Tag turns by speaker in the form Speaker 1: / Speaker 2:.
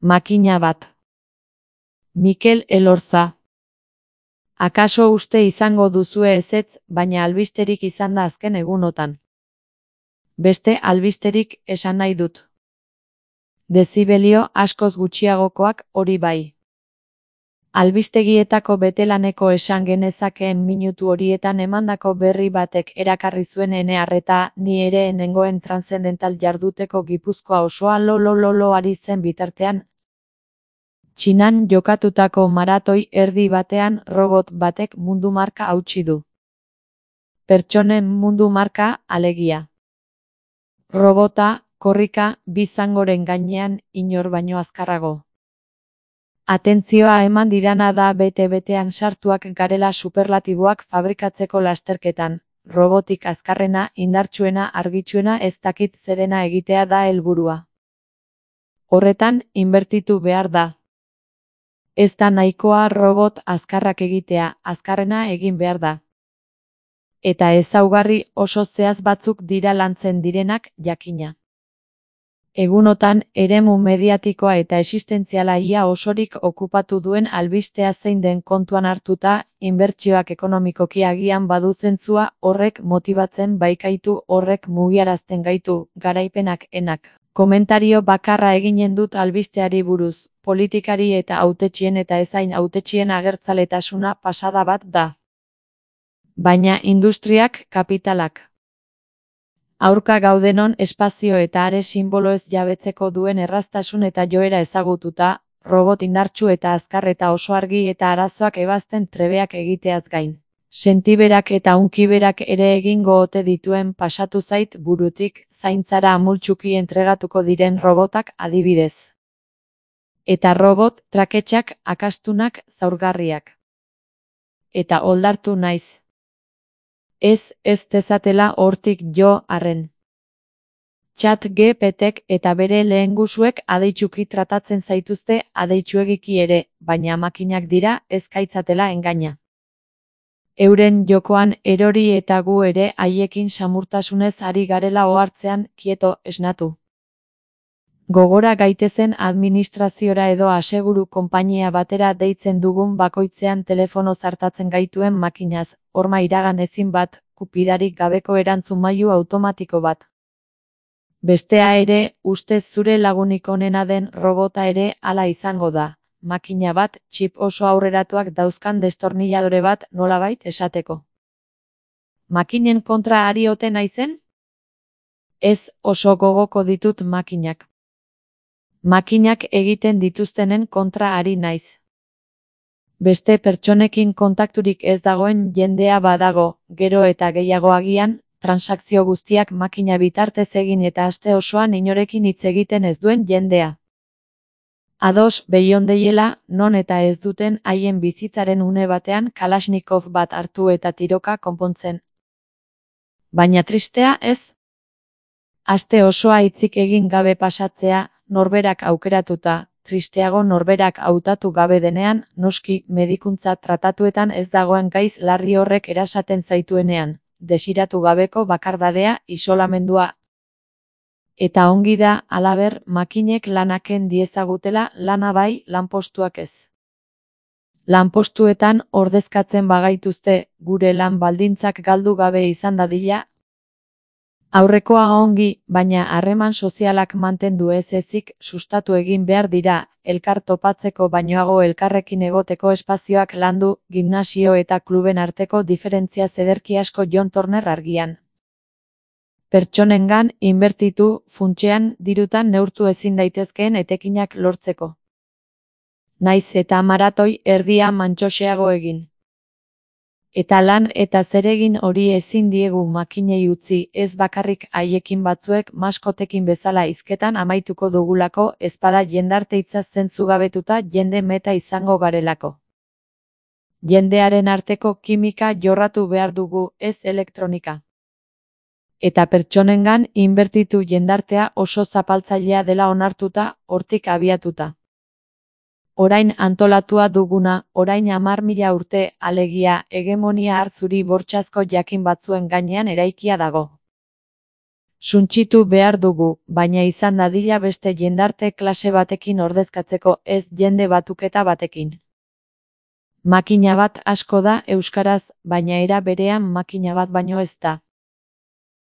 Speaker 1: Makina bat. Mikel Elorza. Akaso uste izango duzue ezetz, baina albisterik izan da azken egunotan. Beste albisterik esan nahi dut. Dezibelio askoz gutxiagokoak hori bai. Albistegietako betelaneko esan genezakeen minutu horietan emandako berri batek erakarri zuen ene arreta, ni ere nengoen transzendental jarduteko Gipuzkoa osoa lo ari zen bitartean. Txinan jokatutako maratoi erdi batean robot batek mundu marka hautsi du. Pertsonen mundu marka, alegia. Robota, korrika, bi zangoren gainean, inor baino azkarrago. Atentzioa eman didana da bete-betean sartuak garela superlatiboak fabrikatzeko lasterketan. Robotik azkarrena, indartsuena, argitsuena ez dakit zerena egitea da helburua. Horretan, inbertitu behar da. Ez da nahikoa robot azkarrak egitea, azkarrena egin behar da. Eta ezaugarri oso zehaz batzuk dira lantzen direnak, jakina. Egunotan, eremu mediatikoa eta existentziala ia osorik okupatu duen albistea zein den kontuan hartuta, inbertsioak ekonomikoki agian badu zentzua, horrek motibatzen baikaitu, horrek mugiarazten gaitu, garaipenak enak. Komentario bakarra eginen dut albisteari buruz, politikari eta hautetsien eta ezain hautetsien agertzaletasuna pasada bat da. Baina industriak, kapitalak. Aurka gaudenon espazio eta are simboloez jabetzeko duen erraztasun eta joera ezagututa, robot indartsu eta azkar eta oso argi eta arazoak ebazten trebeak egiteaz gain. Sentiberak eta hunkiberak ere egingo ote dituen pasatu zait burutik, zaintzara amultsuki entregatuko diren robotak adibidez. Eta robot, traketsak, akastunak, zaurgarriak. Eta oldartu naiz. Ez dezatela hortik jo arren. ChatGPTek eta bere lehengusuek adeitsuki tratatzen zaituzte adeitsuegiki ere, baina makinak dira ez gaitzatela engaina. Euren jokoan erori eta gu ere haiekin samurtasunez ari garela ohartzean, kieto, esnatu. Gogora gaitezen administraziora edo aseguru konpainia batera deitzen dugun bakoitzean telefono zartatzen gaituen makinaz, horma iragan ezin bat, kupidarik gabeko erantzunmailu automatiko bat. Bestea ere, ustez zure lagunik onena den robota ere hala izango da. Makina bat, txip oso aurreratuak dauzkan destornilladore bat nolabait esateko. Makinen kontra ari ote naizen? Ez, oso gogoko ditut makinak. Makinak egiten dituztenen kontra ari naiz. Beste pertsonekin kontakturik ez dagoen jendea badago, gero eta gehiago agian, transakzio guztiak makina bitartez egin eta aste osoan inorekin hitz egiten ez duen jendea. Ados beiondeiela, non eta ez duten haien bizitzaren une batean Kalashnikov bat hartu eta tiroka konpontzen. Baina tristea ez? Aste osoa hitzik egin gabe pasatzea, norberak aukeratuta, tristeago norberak hautatu gabe denean, noski medikuntza tratatuetan ez dagoen gaiz larri horrek erasaten zaituenean, desiratu gabeko bakardadea, isolamendua. Eta ongi da, halaber, makinek lanaken diezagutela, lana bai, lanpostuak ez. Lanpostuetan ordezkatzen bagaituzte, gure lan baldintzak galdu gabe izan dadila. Aurrekoa ongi, baina harreman sozialak mantendu ez ezik sustatu egin behar dira, elkar topatzeko bainoago elkarrekin egoteko espazioak landu, gimnasio eta kluben arteko diferentzia zederki asko John Turner argian. Pertsonengan inbertitu, funtsean, dirutan neurtu ezin daitezkeen etekinak lortzeko. Naiz eta maratoi erdia mantsoxeago egin. Eta lan eta zeregin hori ezin diegu makinei utzi, ez bakarrik haiekin batzuek maskotekin bezala hizketan amaituko dugulako, ezpada jendarte hitza zentzugabetuta jende meta izango garelako. Jendearen arteko kimika jorratu behar dugu, ez elektronika. Eta pertsonengan inbertitu jendartea oso zapaltzailea dela onartuta, hortik abiatuta. Orain antolatua duguna, orain 10.000 urte, alegia, hegemonia hartzuri bortxazko jakin batzuen gainean eraikia dago. Suntsitu behar dugu, baina izan dadila beste jendarte klase batekin ordezkatzeko, ez jende batuketa batekin. Makina bat asko da euskaraz, baina era berean makina bat baino ez da.